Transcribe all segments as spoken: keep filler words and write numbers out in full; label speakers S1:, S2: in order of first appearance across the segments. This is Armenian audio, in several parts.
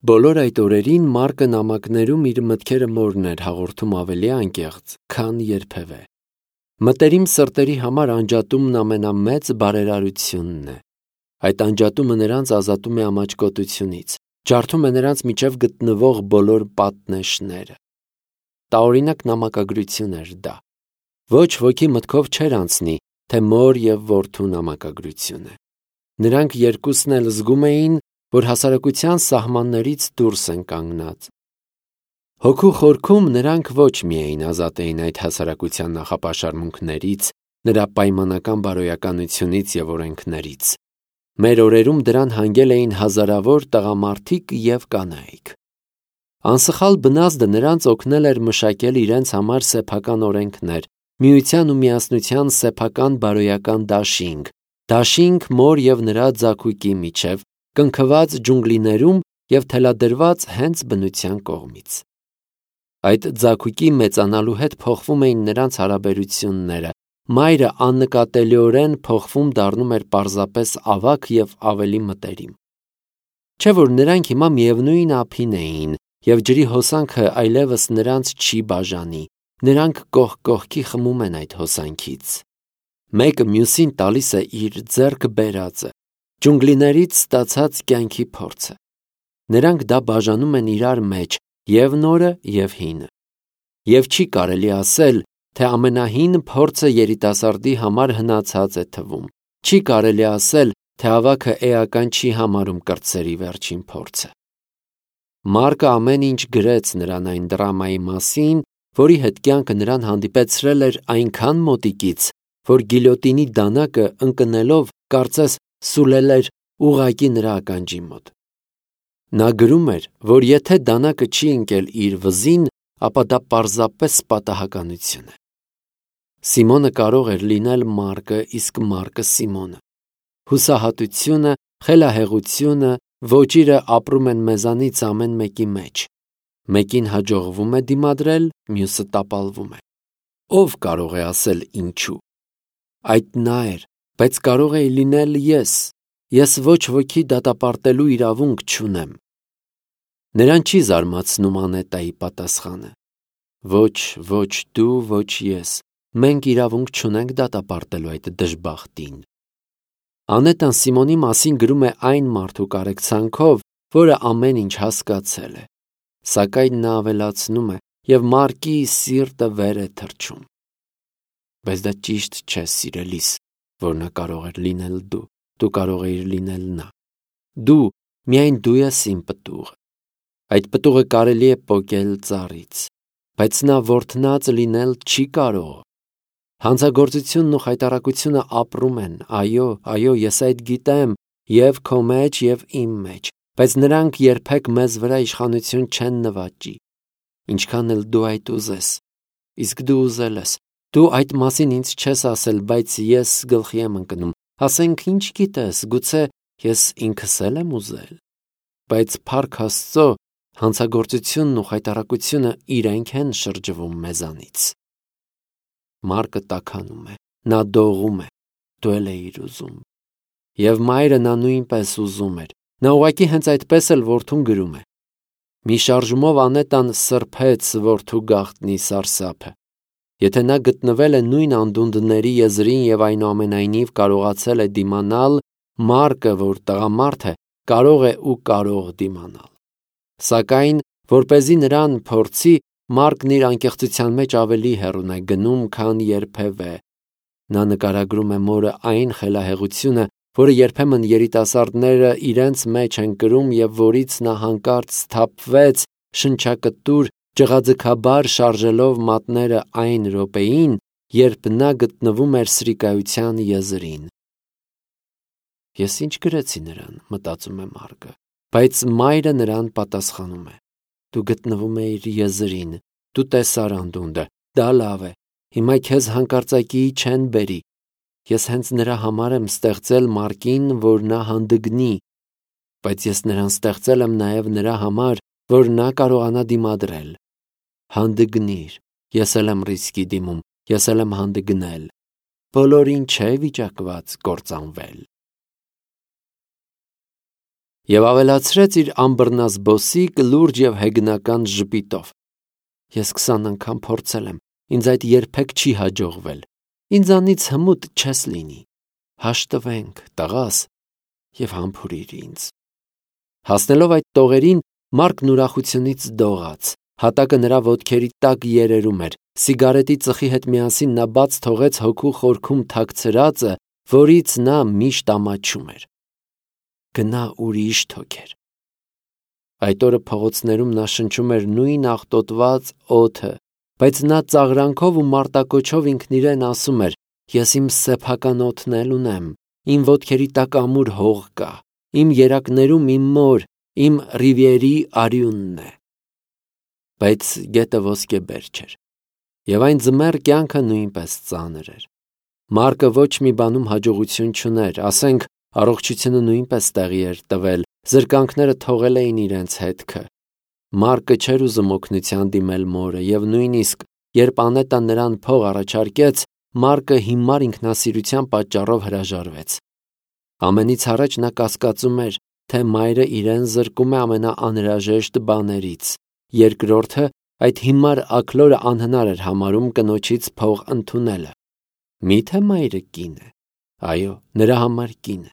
S1: Բոլոր այդ օրերին Մարկը նամակներում իր մտքերը մորն էր հաղորդում ավելի անկեղծ, քան երբևէ։ Մտերիմ սրտերի համար անջատումն ամենամեծ բարերարությունն է։ Այդ անջատումը նրանց ազատում է ամաչկոտությունից, ջարդում է նրանց միջև գտնվող բոլոր պատնեշները։ Տարօրինակ նամակագրություն էր դա։ Ոչ ոքի մտքով չէր անցնի, թե մոր և որդու նամակագրություն է։ Նրանք երկուսն էլ զգում էին, որ հասարակության սահմաններից դուրս են կանգնած։ Հոգու խորքում նրանք ոչ միայն ազատ էին այդ հասարակության նախապաշարմունքներից, նրա պայմանական բարոյականությունից և օրենքներից։ Մեր օրերում դրան հանգել էին հազարավոր տղամարդիկ և կանայք։ Անսխալ բնազդը նրանց օգնել էր մշակել իրենց համար սեփական օրենքներ, միության ու միասնության սեփական բարոյական դաշինք, դաշինք մոր և նրա ձագուկի միջև, կնքված ջունգլիներում և թելադրված հենց բնության կողմից։ Այդ ձագուկի մեծանալու հետ փոխվում էին նրանց հարաբերությունները, մայրը աննկատելիորեն փոխվում դառնում էր պարզապես ավագ և ավելի մտերիմ։ Չէ՞ որ նրանք հիմա միևնույն ափին էին, և ջրի հոսանքը այլևս նրանց չի բաժանի, նրանք կողք կողքի խմում են այդ հոսանքից։ Մեկը մյուսին տալիս է իր ձեռք բերածը, ջունգլիներից ստացած կյանքի փորձը։ Նրանք դա բաժանում են իրար մեջ, և նորը, և հինը։ Եվ չի կարելի ասել, թե ամենահին փորձը երիտասարդի համար հնացած է թվում։ Չի կարելի ասել, թե ավագը էական չի համարում կրտսերի վերջին փորձը։ Մարկը ամեն ինչ գրեց նրան այն դրամայի մասին, որի հետ կյանքը նրան հանդիպեցրել էր այնքան մոտիկից, որ գիլյոտինի դանակը ընկնելով կարծես սուլել էր ուղղակի նրա ականջի մոտ։ Նա գրում էր, որ եթե դանակը չի ընկել իր վզին, ապա դա պարզապես պատահականություն է։ Սիմոնը կարող էր լինել Մարկը, իսկ Մարկը Սիմոնը։ Հուսահատությունը, խելահեղությունը, ոճիրը ապրում են մեզանից ամեն մեկի մեջ։ Մեկին հաջողվում է դիմադրել, մյուսը տապալվում է։ Ո՞վ կարող է ասել ինչու։ Այդ նա էր, բայց կարող էի լինել ես։ Ես ոչ ոքի դատապարտելու իրավունք չունեմ։ Նրան չի զարմացնում Անետայի պատասխանը։ Ոչ, ոչ դու, ոչ ես։ Մենք իրավունք չունենք դատապարտելու այդ դժբախտին։ Անետան Սիմոնի մասին գրում է այն մարդու կարեկցանքով, որը ամեն ինչ հասկացել է։ Սակայն նա ավելացնում է, և Մարկի սիրտը վեր է թռչում։ Բայց դա ճիշտ չէ, սիրելիս, որ նա կարող էր լինել դու, դու կարող էիր լինել նա։ Դու, միայն դու ես իմ պտուղը։ Այդ պտուղը կարելի է պոկել ծառից, բայց նա որդնած լինել չի կարող։ Հանցագործությունն ու խայտառակությունը ապրում են, այո, այո, ես այդ գիտեմ, և քո մեջ, և իմ մեջ, բայց նրանք երբեք մեզ վրա իշխանություն չեն նվաճի, ինչքան էլ դու այդ ուզես։ Իսկ դու ուզել ես, դու այդ մասին ինձ չես ասել, բայց ես գլխի եմ ընկնում, ասենք ինչ գիտես, գուցե ես ինքս էլ եմ ուզել։ Բայց փառք Աստծո, հանցագործությունն ու խայտառակությունը իրենք են շրջվում մեզանից։ Մարկը տաքանում է, նա դողում է, դու էլ էիր ուզում։ Եվ մայրը նա նույնպես ուզում էր, նա ուղղակի հենց այդպես էլ որդուն գրում է։ Մի շարժումով Անետան սրբեց որդու գաղտնի սարսափը։ Եթե նա գտնվել է նույն անդունդների եզրին և այնուամենայնիվ կարողացել է դիմանալ, Մարկը, որ տղամարդ է, կարող է ու կարող դիմանալ։ Սակայն, որպեսզի նրան փորձի, Մարկն իր անկեղծության մեջ ավելի հեռուն է գնում, քան երբևէ։ Նա նկարագրում է մորը այն խելահեղությունը, որը երբեմն երիտասարդները իրենց մեջ են կրում և որից նա հանկարծ սթափվեց շնչակտուր, ջղաձգաբար շարժելով մատները այն րոպեին, երբ նա գտնվում էր սրիկայության եզրին։ Ես ինչ գրեցի նրան, մտածում է Մարկը, բայց մայրը նրան պատասխանում է. Դու գտնվում էիր եզրին, դու տեսար անդունդը, դա լավ է, հիմա քեզ հանկարծակիի չեն բերի։ Ես հենց նրա համար եմ ստեղծել Մարկին, որ նա հանդգնի, բայց ես նրան ստեղծել եմ նաև նրա համար, որ նա կարողանա դիմադրել։ Հանդգնիր, ես էլ եմ ռիսկի դիմում, ես էլ եմ հանդգնել։ Բոլորին չէ վիճակված կործանվել։ եւ ավելացրեց իր ամբռնազբոսիկ, լուրջ եւ հեգնական ժպիտով. Ես քսան անգամ փորձել եմ, ինձ այդ երբեք չի հաջողվել, ինձանից հմուտ չես լինի, հաշտվենք, տղաս, եւ համբուրիր ինձ։ Հասնելով այդ տողերին, Մարկն ուրախությունից դողաց, հատակը նրա ոտքերի տակ երերում էր, սիգարետի ծխի հետ միասին նա բաց թողեց հոգու խորքում թաքցրածը, որից նա միշտ ամաչում էր։ Գնա ուրիշ թոքեր։ Այդ օրը փողոցներում նա շնչում էր նույն աղտոտված օդը, բայց նա ծաղրանքով ու մարտակոչով ինքն իրեն ասում էր. ես իմ սեփական օդն էլ ունեմ, իմ ոտքերի տակ ամուր հող կա, իմ երակներում իմ մոր, իմ Ռիվիերի արյունն է։ Բայց գետը ոսկեբեր չէր, եւ այն ձմեռ կյանքը նույնպես ծանր էր։ Մարկը ոչ մի բանում հաջողություն չուներ, ասենք, առողջությունը նույնպես տեղի էր տվել, զրկանքները թողել էին իրենց հետքը։ Մարկը չէր ուզում օգնության դիմել մորը, եւ նույնիսկ երբ Անետան նրան փող առաջարկեց, Մարկը հիմար ինքնասիրության պատճառով հրաժարվեց։ Ամենից առաջ նա կասկածում էր, թե մայրը իրեն զրկում է ամենաանհրաժեշտ բաներից, երկրորդը այդ հիմար աքլորը անհնար էր համարում կնոջից փող ընդունելը։ Միթե մայրը կին է։ Այո, նրա համար կին է։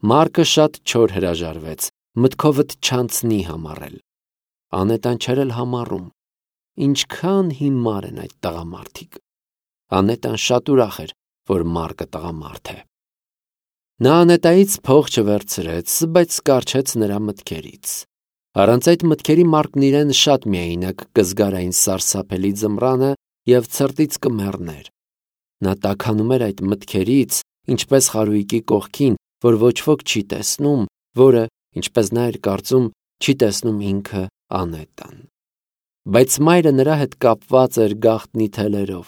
S1: Մարկը շատ չոր հրաժարվեց, մտքովդ չանցնի համարել։ Անետան չէր էլ համառում։ Ինչքան հիմար են այդ տղամարդիկ։ Անետան շատ ուրախ էր, որ Մարկը տղամարդ է։ Նա Անետայից փող չվերցրեց, բայց կարճեց նրա մտքերից։ Առանց այդ մտքերի Մարկն իրեն շատ միայնակ կզգար այն սարսափելի ձմռանը եւ ցրտից կմեռներ։ Նա տաքանում էր այդ մտքերից, ինչպես խարույկի կողքին, որ ոչ ոք չի տեսնում, որը, ինչպես նա էր կարծում, չի տեսնում ինքը Անետան։ Բայց մայրը նրա հետ կապված էր գաղտնի թելերով,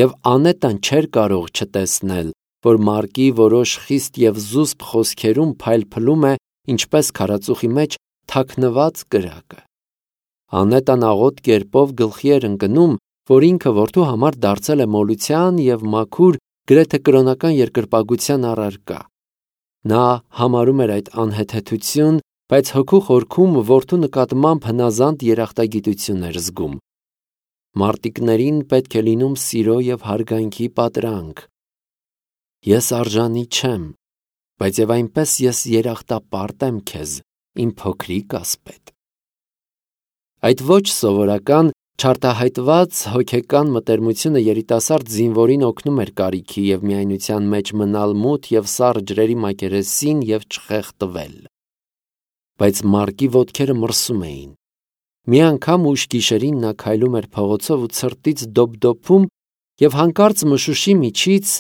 S1: եւ Անետան չէր կարող չտեսնել, որ Մարկի որոշ խիստ եւ զուսպ խոսքերում փայլփլում է, ինչպես քարածուխի մեջ թաքնված կրակը։ Անետան աղոտ կերպով գլխի էր ընկնում, որ ինքը որդու համար դարձել է մոլության եւ մաքուր, գրեթե կրոնական երկրպագության առարկա։ Նա համարում էր այդ անհեթեթություն, բայց հոգու խորքում որդու նկատմամբ հնազանդ երախտագիտություն էր զգում։ Մարտիկներին պետք է լինում սիրո եւ հարգանքի պատրանք։ Ես արժանի չեմ, բայց եւ այնպես ես երախտապարտ եմ քեզ, իմ փոքրիկ ասպետ։ Այդ ոչ սովորական, չարտահայտված հոգեկան մտերմությունը երիտասարդ զինվորին օգնում էր կարիքի եւ միայնության մեջ մնալ մութ եւ սառը ջրերի մակերեսին եւ չխեղդվել։ Բայց Մարկի ոտքերը մրսում էին։ Մի անգամ ուշ գիշերին նա քայլում էր փողոցով ու ցրտից դոփդոփում եւ հանկարծ մշուշի միջից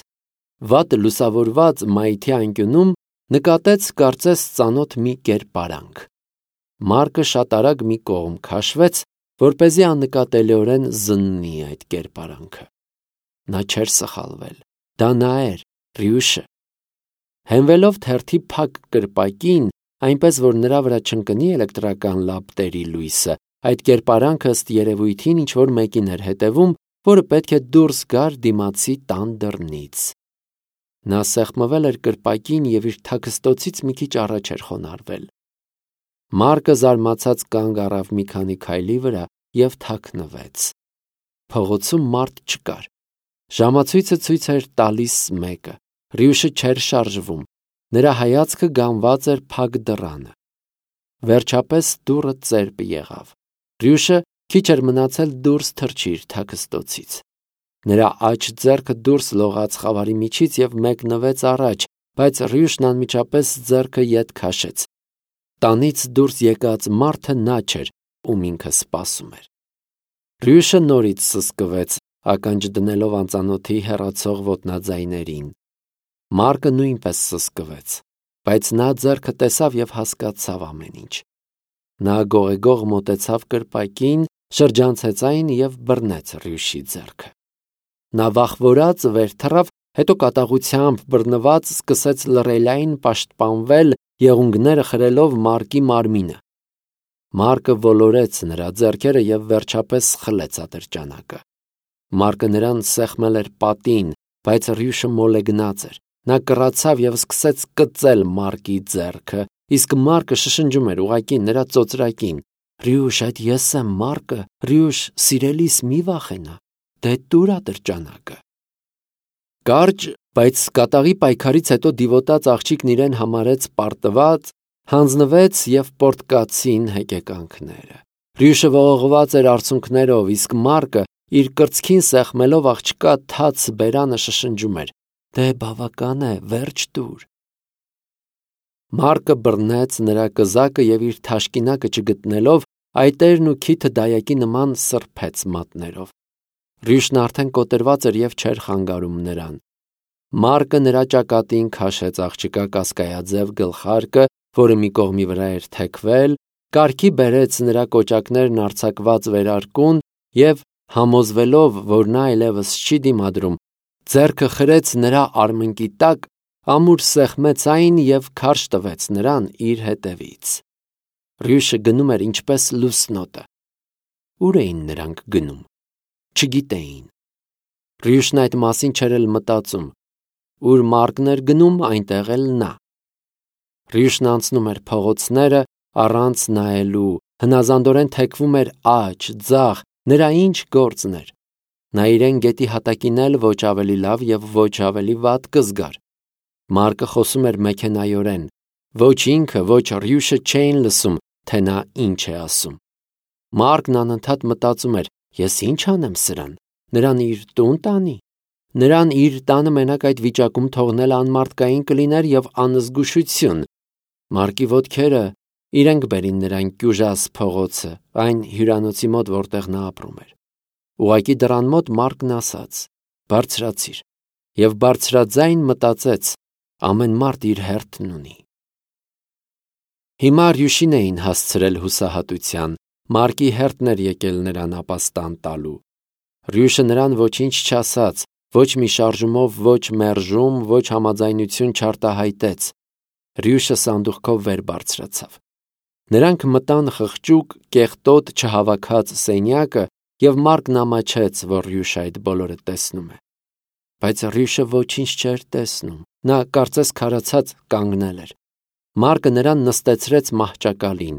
S1: վատ լուսավորված մայթի անկյունում նկատեց կարծես ծանոթ մի կերպարանք։ Մարկը շատ արագ մի կողմ քաշվեց, որպեսզի աննկատելիորեն զննի այդ կերպարանքը։ Նա չէր սխալվել, դա նա էր, Ռյուշը։ Հենվելով թերթի փակ կրպակին, այնպես որ նրա վրա չընկնի էլեկտրական լապտերի լույսը, այդ կերպարանքը ըստ երևույթին ինչ-որ մեկին էր հետևում, որը պետք է դուրս գար դիմացի տան դռնից։ Նա սեղմվել էր կրպակին եւ իր թաքստոցից մի քիչ առաջ էր խոնարհվել։ Մարկը զարմացած կանգ առավ մի քանի քայլի վրա եւ թաքնվեց։ Փողոցում մարդ չկար։ Ժամացույցը ցույց էր տալիս մեկը։ Ռյուշը չէր շարժվում։ Նրա հայացքը գանված էր փակ դռանը։ Վերջապես դուռը ծերպ եղավ։ Ռյուշը քիչ էր մնացել դուրս թռչի իր թաքստոցից։ Նրա աջ ձեռքը դուրս լողաց խավարի միջից եւ մեկնվեց առաջ, բայց Ռյուշն անմիջապես ձեռքը ետ քաշեց։ Տանից դուրս եկած մարդը նա չէր, ում ինքը սպասում էր։ Ռյուշը նորից սսկվեց, ականջ դնելով անծանոթի հեռացող ոտնաձայներին։ Մարկը նույնպես սսկվեց, բայց նա ձեռքը տեսավ եւ հասկացավ ամեն ինչ։ Նա գողեգող մոտեցավ կրպակին, շրջանցեց այն եւ բռնեց Ռյուշի ձեռքը։ Նա վախվորած վեր թռավ, հետո կատաղությամբ բռնված սկսեց լռելային պաշտպանվել, եղունգները խրելով Մարկի մարմինը։ Մարկը ոլորեց նրա ձեռքերը եւ վերջապես խլեց ատրճանակը։ Մարկը նրան սեղմել էր պատին, բայց Ռյուշը մոլեգնած էր։ Նա կռացավ եւ սկսեց կծել Մարկի ձեռքը, Իսկ Մարկը շշնջում էր ուղակի նրա ծոծրակին. «Ռյուշ, այդ ես եմ Մարկը, Ռյուշ, սիրելիս մի վախենա, դե տուրա տրճանակը»։ Կարճ, բայց կատաղի պայքարից հետո դիվոտած աղջիկն իրեն համարեց պարտված, հանձնվեց և պոռթկացին հեկեկանքները։ Ռյուշը ողողված էր արցունքներով, իսկ Մարկը իր կրծքին սեղմելով աղջկա թաց բերանը շշնջում էր. «Դե բավական է, վերջ տուր»։ Մարկը բռնեց նրա կզակը և իր թաշկինակը չգտնելով, այտերն ու քիթը դայակի նման սրբեց մատներով։ Ռյուշն արդեն կոտրված էր և չէր խանգարում նրան։ Մարկը նրա ճակատին քաշեց աղջկա կասկայաձև գլխարկը, որը մի կողմի վրա էր թեքվել, կարգի բերեց նրա կոճակներն արձակված վերարկուն և, համոզվելով, որ նա այլևս չի դիմադրում, ձեռքը խրեց նրա արմնկի տակ, ամուր սեղմեց այն և քարշ տվեց նրան իր հետևից։ Ռյուշը գնում էր ինչպես լուսնոտը։ Ուր էին նրանք գնում։ Չգիտեին։ Ռյուշն այդ մասին չէր էլ մտածում։ Ուր Մարկն էր գնում, այնտեղ էլ նա։ Ռյուշն անցնում էր փողոցները առանց նայելու, հնազանդորեն թեքվում էր աջ, ձախ, նրա ինչ գործն էր։ Նա իրեն գետի հատակին էլ ոչ ավելի լավ և ոչ ավելի վատ կզգար։ Մարկը խոսում էր մեքենայորեն։ Ոչ ինքը, ոչ Ռյուշը չէին լսում, թե նա ինչ է ասում։ Մարկն անընդհատ մտածում էր. «Ես ինչ անեմ սրան, նրան իր տուն տանի»։ Նրան իր տանը մենակ այդ վիճակում թողնելը անմարդկային կլիներ և անզգուշություն։ Մարկի ոտքերը իրենք բերին նրան Կյուժաս փողոցը, այն հյուրանոցի մոտ, որտեղ նա ապրում էր։ Ուղղակի դռան մոտ Մարկն ասաց. «Բարձրացիր» և բարձրաձայն մտածեց. ամեն մարդ իր հերթն ունի։ Հիմա Ռյուշին էին հասցրել հուսահատության։ Մարկի հերթն էր եկել նրան ապաստան տալու։ Ռյուշը նրան ոչինչ չասաց, ոչ մի շարժումով, ոչ մերժում, ոչ համաձայնություն չարտահայտեց։ Ռյուշը սանդուղքով վեր բարձրացավ։ Նրանք մտան խղճուկ, կեղտոտ չհավաքած սենյակը, և Մարկն ամաչեց, որ Ռյուշը այդ բոլորը տեսնում է։ Բայց Ռյուշը ոչինչ չէր տեսնում։ Նա կարծես քարացած կանգնել էր։ Մարկը նրան նստեցրեց մահճակալին։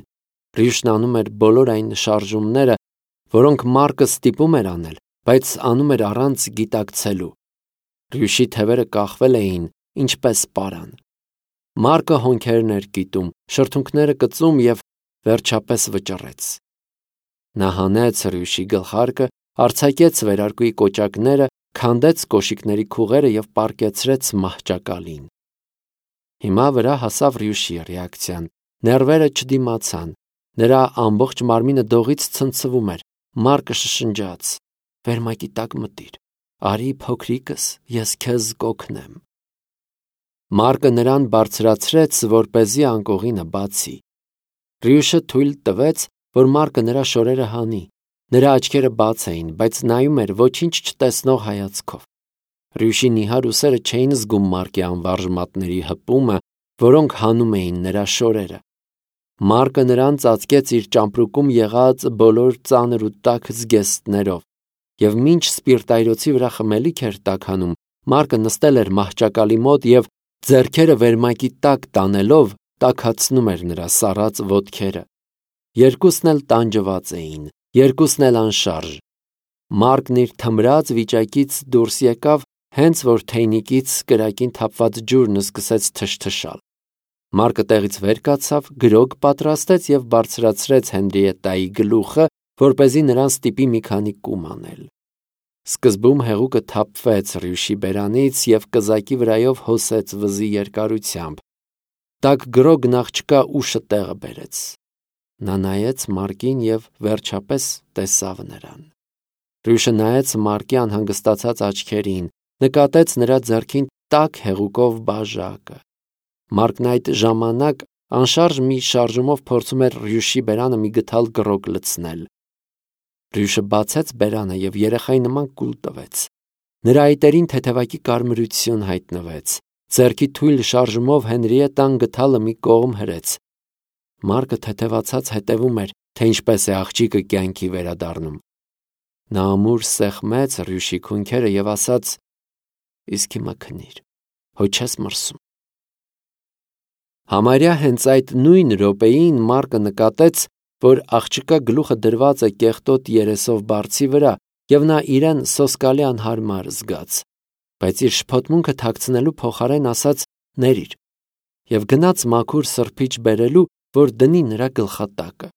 S1: Ռյուշն անում էր բոլոր այն շարժումները, որոնք Մարկը ստիպում էր անել, բայց անում էր առանց գիտակցելու։ Ռյուշի թևերը կախվել էին, ինչպես պարան։ Մարկը հոնքերն էր կիտում, շրթունքները կծում և վերջապես վճռեց։ Նա հանեց Ռյուշի գլխարկը, արձակեց վերարկուի կոճակները, քանդեց կոշիկների քուղերը և պառկեցրեց մահճակալին։ Հիմա վրա հասավ Ռյուշի ռեակցիան։ Ներվերը չդիմացան։ Նրա ամբողջ մարմինը դողից ցնցվում էր։ Մարկը շշնջաց. «Վերմակի տակ մտիր, արի փոքրիկս, ես քեզ կօգնեմ»։ Մարկը նրան բարձրացրեց, որպեսզի անկողինը բացի։ Ռյուշը թույլ տվեց, որ Մարկը նրա շորերը հանի։ Նրա աչքերը բաց էին, բայց նայում էր ոչինչ չտեսնող հայացքով։ Ռյուշի նիհար ուսերը չէին զգում Մարկի անվարժ մատների հպումը, որոնք հանում էին նրա շորերը։ Մարկը նրան ծածկեց իր ճամպրուկում եղած բոլոր ծանր ու տաք զգեստներով, և մինչ սպիրտայրոցի վրա խմելիք էր տաքանում, Մարկը նստել էր մահճակալի մոտ և, ձեռքերը վերմակի տակ տանելով, տաքացնում էր նրա սառած ոտքերը։ Երկուսն էլ տանջված էին, երկուսն էլ անշարժ։ Մարկն իր թմրած վիճակից դուրս եկավ, հենց որ թեյնիկից կրակին թափված ջուրն սկսեց թշթշալ։ Մարկը տեղից վեր կացավ, գրոգ պատրաստեց և բարձրացրեց Հենրիետայի գլուխը, որպեսզի նրան ստիպի մի քանի կում անել։ Սկզբում հեղուկը թափվեց Ռյուշի բերանից և կզակի վրայով հոսեց վզի երկարությամբ։ Տաք գրոգն աղջկա ուշը տեղը բերեց։ Նա նայեց Մարկին և վերջապես տեսավ նրան։ Ռյուշը նայեց Մարկի անհանգստացած աչքերին, նկատեց նրա ձեռքին տաք հեղուկով բաժակը։ Մարկն այդ ժամանակ անշարժ մի շարժումով փորձում էր Ռյուշի բերանը մի գդալ գրոգ լցնել։ Ռյուշը բացեց բերանը և երեխայի նման կուլ տվեց։ Նրա այտերին թեթևակի կարմրություն հայտնվեց։ Ձեռքի թույլ շարժումով Հենրիետան գդալը մի կողմ հրեց։ Մարկը թեթևացած հետևում էր, թե ինչպես է աղջիկը կյանքի վերադառնում։ Նա ամուր սեղմեց Ռյուշի քունքերը և ասաց. «Իսկ հիմա քնիր, հո չես մրսում»։ Համարյա հենց այդ նույն րոպեին Մարկը նկատեց, որ աղջկա գլուխը դրված է կեղտոտ երեսով բարձի վրա, և նա իրեն սոսկալի անհարմար զգաց, բայց իր շփոթմունքը թաքցնելու փոխարեն ասաց. «Ներիր» և գնաց մաքուր սրբիչ բերելու, որ դնի նրա գլխատակը։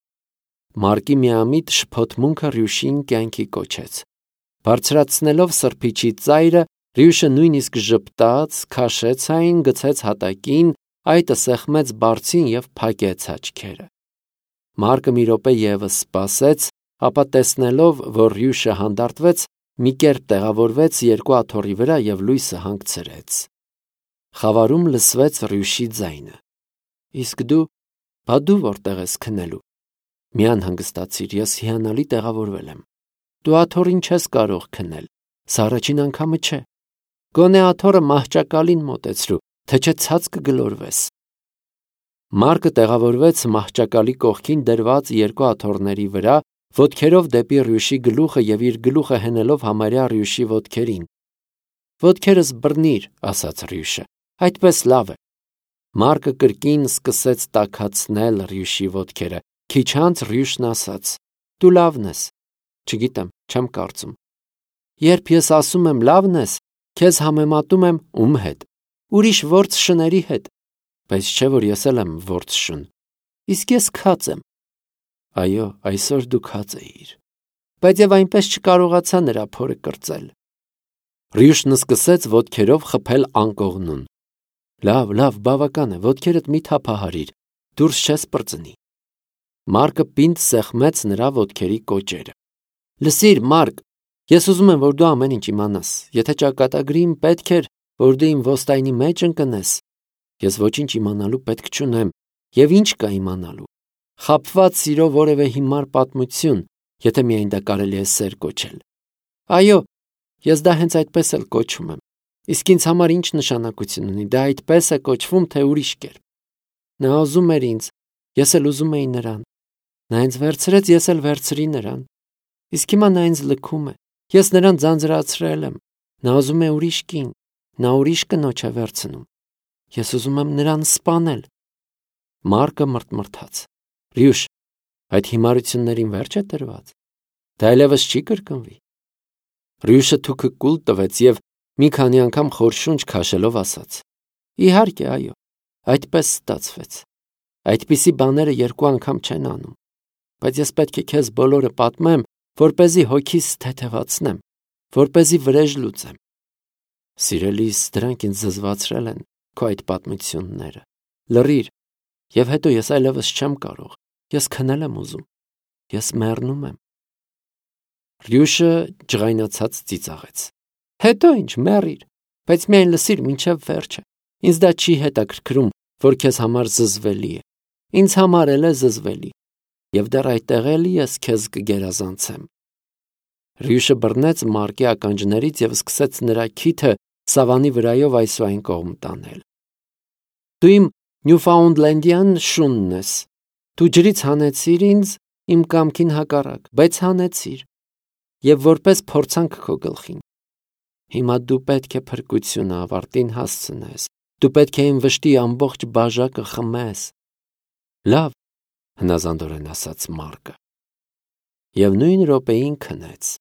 S1: Մարկի միամիտ շփոթմունքը Ռյուշին կյանքի կոչեց։ Բարձրացնելով սրբիչի ծայրը, Ռյուշը նույնիսկ ժպտաց, քաշեց այն, գցեց հատակին, այտը սեղմեց բարձին և փակեց աչքերը։ Մարկը մի րոպե ևս սպասեց, ապա տեսնելով, որ Ռյուշը հանդարտվեց, մի կերպ տեղավորվեց երկու աթոռի վրա և լույսը հանգցրեց։ Խավարում լսվեց Ռյուշի ձայնը. «Իսկ դու, բա դու որտե՞ղ ես քնելու»։ Մի անհանգստացիր, ես հիանալի տեղավորվել եմ։ Դու աթոռին չես կարող քնել, սա առաջին անգամը չէ։ Գոնե աթոռը մահճակալին մոտեցրու, թե չէ ցած կգլորվես։ Մարկը տեղավորվեց մահճակալի կողքին դրված երկու աթոռների վրա, ոտքերով դեպի Ռյուշի գլուխը և իր գլուխը հենելով համարյա Ռյուշի ոտքերին։ «Ոտքերս բռնիր», ասաց Ռյուշը, «այդպես լավ է»։ Մարկը կրկին սկսեց տաքացնել Ռյուշի ոտքերը։ Քիչ անց Ռյուշն ասաց. «Դու լավն ես»։ «Չգիտեմ, չեմ կարծում»։ «Երբ ես ասում եմ լավն ես, քեզ համեմատում եմ ում հետ։ Ուրիշ որց շների հետ։ Բայց չէ՞ որ ես էլ եմ որց շուն։ Իսկ ես քած եմ»։ «Այո, այսօր դու քած էիր»։ Բայց և այնպես չկարողացա նրա փորը կրծել։ Ռյուշն սկսեց ոտքերով խփել անկողնուն։ «Լավ, լավ, բավական է, ոտքերդ մի թափահարիր, դուրս չես պրծնի»։ Մարկը պինդ սեղմեց նրա ոտքերի կոճերը։ «Լսիր, Մարկ, ես ուզում եմ, որ դու ամեն ինչ իմանաս։ Եթե ճակատագրի, պետք էր, որ դու իմ ոստայնի մեջ ընկնես։ Ես ոչինչ իմանալու պետք չունեմ, և ինչ կա իմանալու։ Խաբված սիրո որևէ հիմար պատմություն, եթե միայն դա կարելի է սեր կոչել։ Այո, ես դա հենց այդպես էլ կոչում եմ։ Իսկ ինձ համար ինչ նշանակություն ունի, դա այդպես է կոչվում, թե ուրիշ կերպ։ Նա ուզում էր ինձ, ես էլ ուզում էի նրան։ Նա ինձ վերցրեց, ես էլ վերցրի նրան։ Իսկ հիմա նա ինձ լքում է, ես նրան ձանձրացրել եմ։ Նա ուզում է ուրիշ կին, նա ուրիշ կնոջ է վերցնում։ Ես ուզում եմ նրան սպանել»։ Մարկը մռթմռթաց։ «Ռյուշ, այդ հիմարություններին վերջ է տրված։ Դա այլևս չի կրկնվի»։ Ռյուշը թուքը կուլ տվեց և մի քանի անգամ խոր շունչ քաշելով ասաց. «Իհարկե, այո, այդպես ստացվեց։ Այդպիսի բաները երկու անգամ չեն անում։ Բայց ես պետք է քեզ բոլորը պատմեմ, որպեսզի հոգիս թեթևացնեմ, որպեսզի վրեժ լուծեմ։ Սիրելիս, դրանք ինձ զզվացրել են, քո այդ պատմությունները։ Լռիր, և հետո ես այլևս չեմ կարող, ես քնել եմ ուզում, ես մեռնում եմ»։ Ռյուշը ջղայնացած ծիծաղեց. «Հետո ինչ, մեռիր, բայց միայն լսիր մինչև վերջը։ Ինձ դա չի հետաքրքրում, որ քեզ համար զզվելի է։ Ինձ համար էլ է զզվելի։ Եվ դեռ այդտեղ էլի ես քեզ կգերազանցեմ»։ Ռյուշը բռնեց Մարկի ականջներից և սկսեց նրա քիթը սավանի վրայով այս ու այն կողմ տանել։ «Դու իմ Նյուֆաունդլենդյան շունն ես։ Դու ջրից հանեցիր ինձ իմ կամքին հակառակ, բայց հանեցիր, և որպես փորձանք քո գլխին։ Հիմա դու պետք է փրկությունը ավարտին հասցնես։ Դու պետք է իմ վշտի ամբողջ բաժակը խմես»։ «Լավ», հնազանդորեն ասաց Մարկը։ Եվ նույն րոպեին քնեց։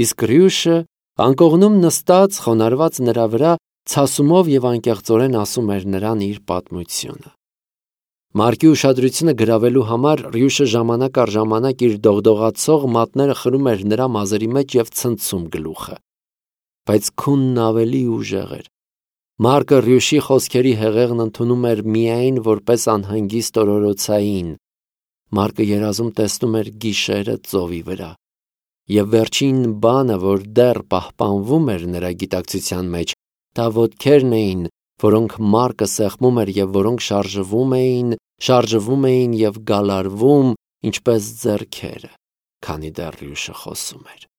S1: Իսկ Ռյուշը անկողնում նստած, խոնարհված նրա վրա, ցասումով և անկեղծորեն ասում էր նրան իր պատմությունը։ Մարկի ուշադրությունը գրավելու համար Ռյուշը ժամանակ առ ժամանակ իր դողդողացող մատները խրում էր նրա մազերի մեջ և ցնցում գլուխը։ Բայց քունն ավելի ուժեղ էր։ Մարկը Ռյուշի խոսքերի հեղեղն ընդունում էր միայն որպես անհանգիստ օրորոցային։ Մարկը երազում տեսնում էր գիշերը ծովի վրա։ Եվ վերջին բանը, որ դեռ պահպանվում էր նրա գիտակցության մեջ, դա ոտքերն էին, որոնք Մարկը սեղմում էր և որոնք շարժվում էին, շարժվում էին և գալարվում, ինչպես ձեռքերը, քանի դեռ Ռյուշը խոսում էր։